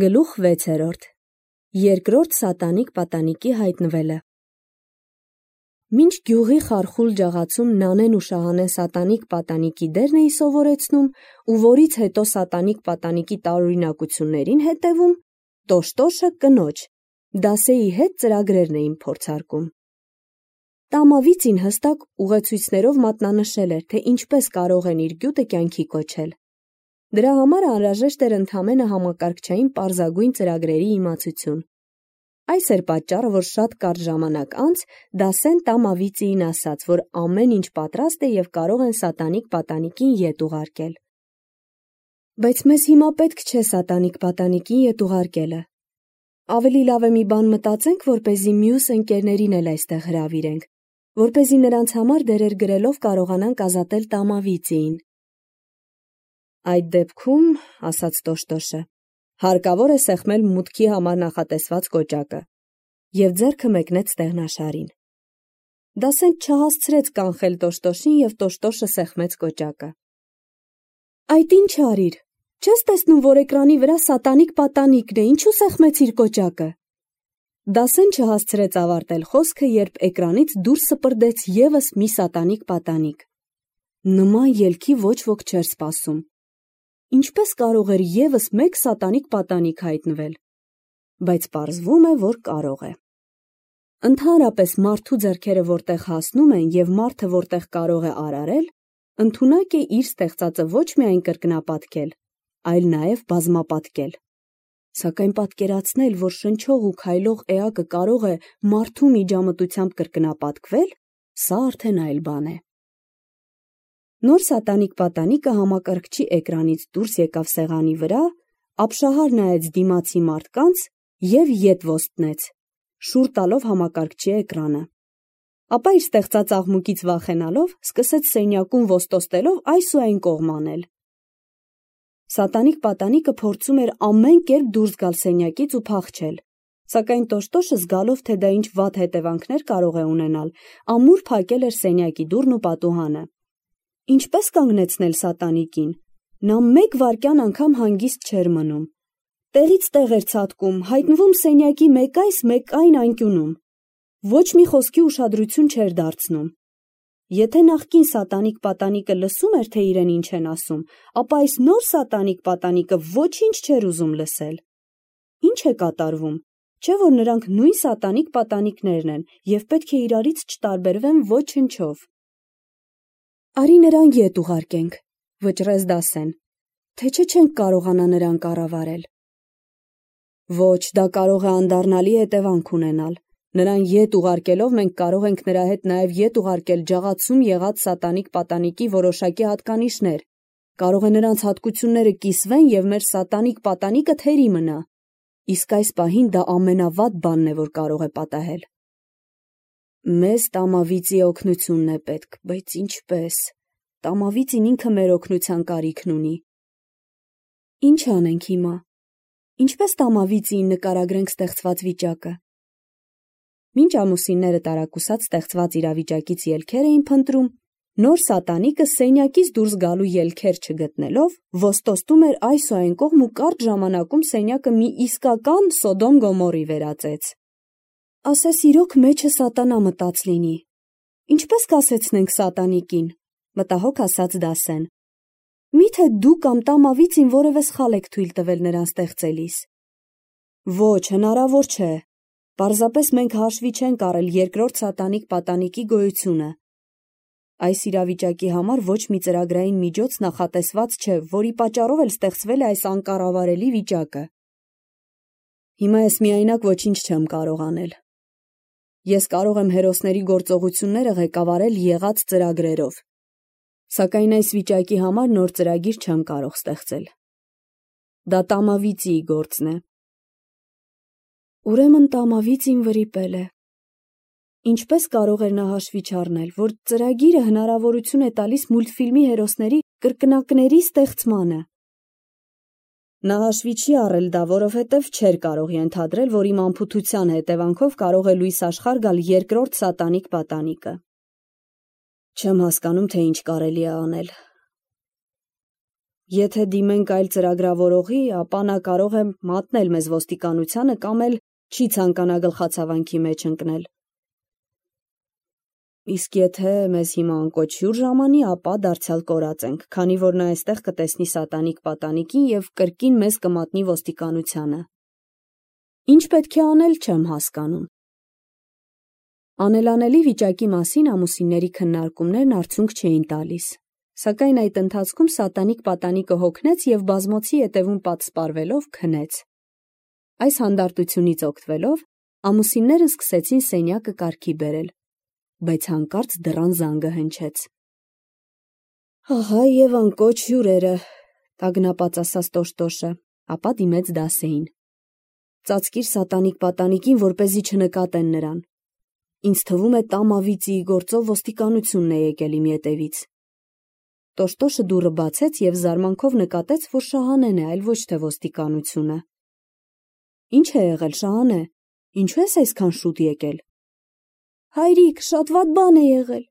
Գլուխ 6. Երկրորդ սատանիկ պատանիկի հայտնվելը։ Մինչ գյուղի խարխուլ ջաղացում Նանեն ու Շահանեն սատանիկ պատանիկի դերն էին սովորեցնում ու որից հետո սատանիկ պատանիկի տարօրինակություններին հետևում, Տոշտոշը կնոջ, Դասեի հետ ծրագրերն էին փորձարկում։ Տամավիծին հստակ ուղեցույցներով մատնանշել էր, թե ինչպես կարող են իր գյուտը կյանքի կոչել։ Դրա համար անհրաժեշտ էր ընդամենը համակարգչային պարզագույն ծրագրերի իմացություն։ Այս էր պատճառը, որ շատ կարճ ժամանակ անց Դասեն Տամավիծիին ասաց, որ ամեն ինչ պատրաստ է և կարող են սատանիկ պատանիկին ետ ուղարկել։ Բայց մեզ հիմա պետք չէ սատանիկ պատանիկին ետ ուղարկելը։ Ավելի լավ է մի բան մտածենք, որպեսզի մյուս ընկերներին էլ այստեղ հրավիրենք, որպեսզի նրանց համար դերեր գրելով կարողանանք ազատել Տամավիծիին։ Այդ դեպքում, ասաց Տոշտոշը, հարկավոր է սեղմել մուտքի համար նախատեսված կոճակը, և ձեռքը մեկնեց ստեղնաշարին։ Դասեն չհասցրեց կանխել Տոշտոշին և Տոշտոշը սեղմեց կոճակը։ Այդ ինչ արիր, չես տեսնում, որ էկրանի վրա սատանիկ պատանիկն է, ինչու սեղմեցիր կոճակը։ Դասեն չհասցրեց ավարտել խոսքը, երբ էկրանից դուրս սպրդեց ևս մի սատանիկ պատանիկ։ Նման ելքի ոչ ոք չէր սպասում։ Ինչպես կարող էր ևս մեկ սատանիկ պատանիկ հայտնվել, բայց պարզվում է, որ կարող է։ Ընդհանրապես մարդու ձեռքերը որտեղ հասնում են և մարդը որտեղ կարող է արարել, ընդունակ է իր ստեղծածը ոչ միայն կրկնապատկել, այլ նաև բազմապատկել։ Սակայն պատկերացնել, որ շնչող ու քայլող էակը կարող է մարդու միջամտությամբ կրկնապատկվել, սա արդեն այլ բան է։ Նոր սատանիկ պատանիկը համակարգչի էկրանից դուրս եկավ սեղանի վրա, ապշահար նայեց դիմացի մարդկանց և ետ ոստնեց, շուռ տալով համակարգչի էկրանը։ Ապա իր ստեղծած աղմուկից վախենալով, սկսեց սենյակում ոստոստելով այս ու այն կողմ անել։ Սատանիկ պատանիկը փորձում էր ամեն կերպ դուրս գալ սենյակից ու փախչել, սակայն Տոշտոշը զգալով, թե դա ինչ վատ հետևանքներ կարող է ունենալ, ամուր փակել էր սենյակի դուռն ու պատուհանը։ Ինչպես կանգնեցնել սատանիկին։ Նա մեկ վայրկյան անգամ հանգիստ չէր մնում։ Տեղից տեղ էր ցատկում, հայտնվում սենյակի մեկ այս, մեկ այն անկյունում։ Ոչ մի խոսքի ուշադրություն չէր դարձնում։ Եթե նախկին սատանիկ պատանիկը լսում էր, թե իրեն ինչ են ասում, ապա այս նոր սատանիկ պատանիկը ոչինչ չէր ուզում լսել։ Ինչ է կատարվում, չէ՞ որ նրանք նույն սատանիկ պատանիկներն են և պետք է իրարից չտարբերվեն ոչնչով։ Արի նրան ետ ուղարկենք, վճռեց Դասեն, թե չէ չենք կարողանա նրան կառավարել։ Ոչ, դա կարող է անդառնալի հետևանք ունենալ։ Նրան ետ ուղարկելով մենք կարող ենք նրա հետ նաև ետ ուղարկել ջաղացում եղած սատանիկ պատանիկի որոշակի հատկանիշներ։ Կարող է նրանց հատկությունները կիսվեն և մեր սատանիկ պատանիկը թերի մնա։ Իսկ այս պահին դա ամենավատ բանն է, որ կարող է պատահել։ Մեզ Տամավիծի օգնությունն է պետք, բայց ինչպես։ Տամավիծին ինքը մեր օգնության կարիքն ունի։ Ինչ անենք հիմա։ Ինչպես Տամավիծիին նկարագրենք ստեղծված վիճակը։ Մինչ ամուսինները տարակուսած ստեղծված իրավիճակից ելքեր էին փնտրում, նոր սատանիկը սենյակից դուրս գալու ելքեր չգտնելով, ոստոստում էր այս ու այն կողմ ու կարճ ժամանակում սենյակը մի իսկական Սոդոմ Գոմորի վերածեց։ Ասես իրոք մեջը սատանա մտած լինի։ Ինչպես կասեցնենք սատանիկին, մտահոգ ասաց Դասեն։ Միթե դու կամ Տամավիծին որևէ սխալ եք թույլ տվել նրան ստեղծելիս։ Ոչ, հնարավոր չէ։ Պարզապես մենք հաշվի չենք առել երկրորդ սատանիկ պատանիկի գոյությունը։ Այս իրավիճակի համար ոչ մի ծրագրային միջոց նախատեսված չէ, որի պատճառով էլ ստեղծվել է այս անկառավարելի վիճակը։ Հիմա ես միայնակ ոչինչ չեմ կարող անել։ Ես կարող եմ հերոսների գործողությունները ղեկավարել եղած ծրագրերով, սակայն այս վիճակի համար նոր ծրագիր չեմ կարող ստեղծել։ Դա Տամավիծիի գործն է։ Ուրեմն Տամավիծին վրիպել է։ Ինչպես կարող էր նա հաշվի չառնել, որ ծրագիրը հնարավորություն է տալիս մուլտֆիլմի հերոսների կրկնակների ստեղծմանը։ Նա հաշվի չի առել դա, որովհետև չէր կարող ենթադրել, որ իմ անփութության հետևանքով կարող է լույս աշխարհ գալ երկրորդ սատանիկ պատանիկը։ Չեմ հասկանում, թե ինչ կարելի է անել։ Եթե դիմենք այլ ծրագրավորողի, ապա նա կարող է մատնել մեզ ոստիկանությանը կամ էլ չի ցանկանա գլխացավանքի մեջ ընկնել։ Իսկ եթե մեզ հիմա անկոչ հյուր ժամանի, ապա դարձյալ կորած ենք, քանի որ նա այստեղ կտեսնի սատանիկ պատանիկին եւ կրկին մեզ կմատնի ոստիկանությանը։ Ինչ պետք է անել, չեմ հասկանում։ Անելանելի վիճակի մասին ամուսինների քննարկումներն արդյունք չէին տալիս, սակայն այդ ընթացքում սատանիկ պատանիկը հոգնեց եւ բազմոցի ետևում պատսպարվելով քնեց։ Այս հանդարտությունից օգտվելով ամուսիններն սկսեցին սենյակը կարգի բերել, բայց հանկարծ դռան զանգը հնչեց։ Ահա եւ անկոչ հյուրերը, տագնապած ասաց Տոշտոշը, ապա դիմեց Դասեին։ Ծածկիր սատանիկ պատանիկին, որպեսզի չնկատեն նրան։ Ինձ թվում է տամավիծի գործով ոստիկանությունն է եկել իմ ետևից։ Տոշտոշը դուռը բացեց եւ զարմանքով նկատեց, որ Շահանեն է, այլ ոչ թե ոստիկանությունը։ Ինչ է եղել, Շահանե, ինչու ես այսքան շուտ եկել։ Հայրիկ, շատ վատ բան է եղել։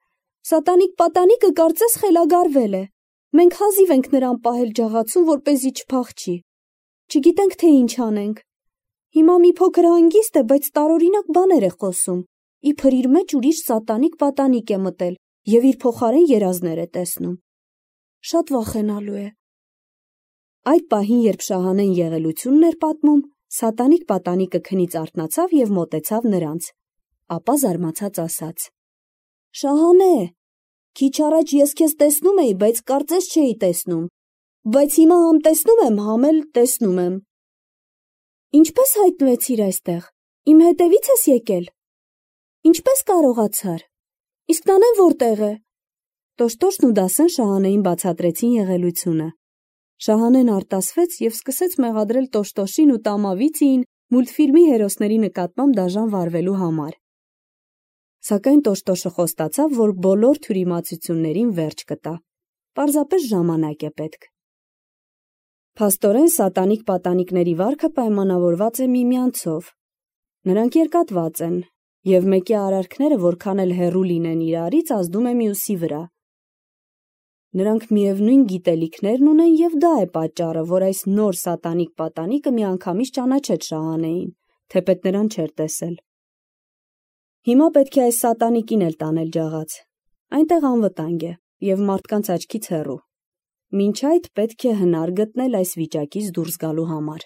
Սատանիկ պատանիկը կարծես խելագարվել է։ Մենք հազիվ ենք նրան պահել ջաղացում, որպեսզի չփախչի։ Չգիտենք, թե ինչ անենք։ Հիմա մի փոքր հանգիստ է, բայց տարօրինակ բաներ է խոսում։ Իբր իր մեջ ուրիշ սատանիկ պատանիկ է մտել եւ իր փոխարեն երազներ է տեսնում։ Շատ վախենալու է։ Այդ պահին, երբ Շահանեն եղելությունն էր պատմում, սատանիկ պատանիկը քնից արթնացավ եւ մոտեցավ նրանց, ապա զարմացած ասաց. Շահանե, քիչ առաջ ես քեզ տեսնում էի, բայց կարծես չէի տեսնում, բայց հիմա համ տեսնում եմ, համ էլ տեսնում եմ։ Ինչպես հայտնվեցիր այստեղ։ Իմ հետևից ես եկել։ Ինչպես կարողացար։ Իսկ Նանեն որտեղ է։ Տոշտոշն ու Դասեն Շահանեին բացատրեցին եղելությունը։ Շահանեն արտասվեց եւ սկսեց մեղադրել Տոշտոշին ու Տամավիծիին մուլտֆիլմի հերոսների նկատմամբ դաժան վարվելու համար։ Սակայն Տոշտոշը խոստացավ, որ բոլոր թյուրիմացություններին վերջ կտա։ Պարզապես ժամանակ է պետք։ Փաստորեն սատանիկ պատանիկների վարքը պայմանավորված է միմյանցով։ Նրանք երկատված են, եւ մեկի արարքները որքան էլ հեռու լինեն իրարից, ազդում է մյուսի վրա։ Նրանք միևնույն գիտելիքներն ունեն եւ դա է պատճառը, որ այս նոր սատանիկ պատանիկը միանգամից ճանաչեց Շահանեին, թեպետ նրան չէր տեսել։ Հիմա պետք է այս սատանիկին էլ տանել ջաղաց։ Այնտեղ անվտանգ է եւ մարդկանց աչքից հեռու։ Մինչ այդ պետք է հնար գտնել այս վիճակից դուրս գալու համար։